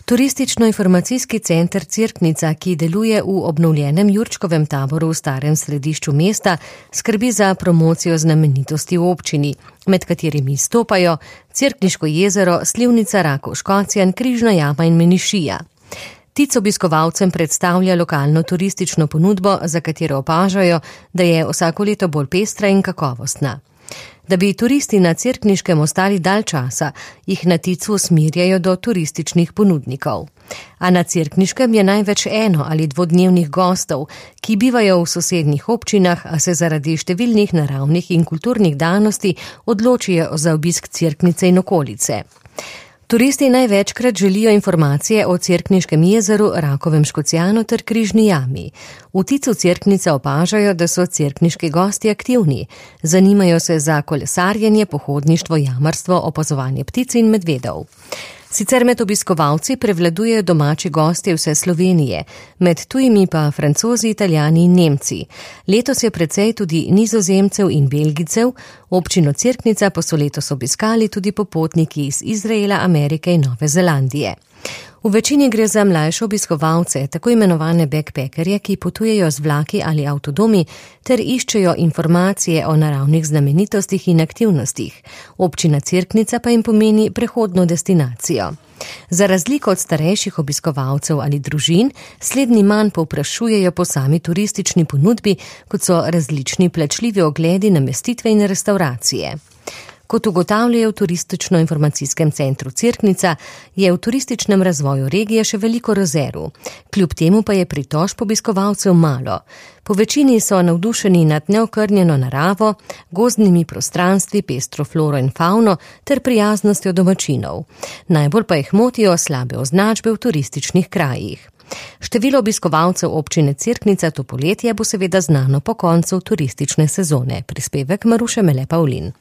Turistično-informacijski center Cerknica, ki deluje v obnovljenem Jurčkovem taboru v starem središču mesta, skrbi za promocijo znamenitosti v občini, med katerimi stopajo Cerkniško jezero, Slivnica, Rakov Škocjan, Križna jama in Menišija. Tic obiskovalcem predstavlja lokalno turistično ponudbo, za katero opažajo, da je vsako leto bolj pestra in kakovostna. Da bi turisti na Cerkniškem ostali dalj časa, jih na Ticu usmerjajo do turističnih ponudnikov. A na Cerkniškem je največ eno- ali dvodnevnih gostov, ki bivajo v sosednjih občinah, a se zaradi številnih naravnih in kulturnih danosti odločijo za obisk Cerknice in okolice. Turisti največkrat želijo informacije o Cerkniškem jezeru, Rakovem Škocjanu ter Križni jami. V Ticu Cerknice opažajo, da so cerkniški gosti aktivni. Zanimajo se za kolesarjenje, pohodništvo, jamarstvo, opazovanje ptic in medvedov. Sicer med obiskovalci prevladujejo domači gostje vse Slovenije, med tujimi pa Francozi, Italijani in Nemci. Letos je precej tudi Nizozemcev in Belgijcev, občino Cerknica pa so letos obiskali tudi popotniki iz Izraela, Amerike in Nove Zelandije. V večini gre za mlajše obiskovalce, tako imenovane backpackerje, ki potujejo z vlaki ali avtodomi ter iščejo informacije o naravnih znamenitostih in aktivnostih. Občina Cerknica pa jim pomeni prehodno destinacijo. Za razliko od starejših obiskovalcev ali družin, slednji manj povprašujejo po sami turistični ponudbi, kot so različni plačljivi ogledi, namestitve in restauracije. Kot ugotavljajo v Turistično-informacijskem centru Cerknica, je v turističnem razvoju regije še veliko rezerv. Kljub temu pa je pritožb obiskovalcev malo. Po večini so navdušeni nad neokrnjeno naravo, gozdnimi prostranstvi, pestro floro in fauno ter prijaznostjo domačinov. Najbolj pa jih motijo slabe označbe v turističnih krajih. Število obiskovalcev občine Cerknica to poletje bo seveda znano po koncu turistične sezone. Prispevek Maruše Mele Pavlin.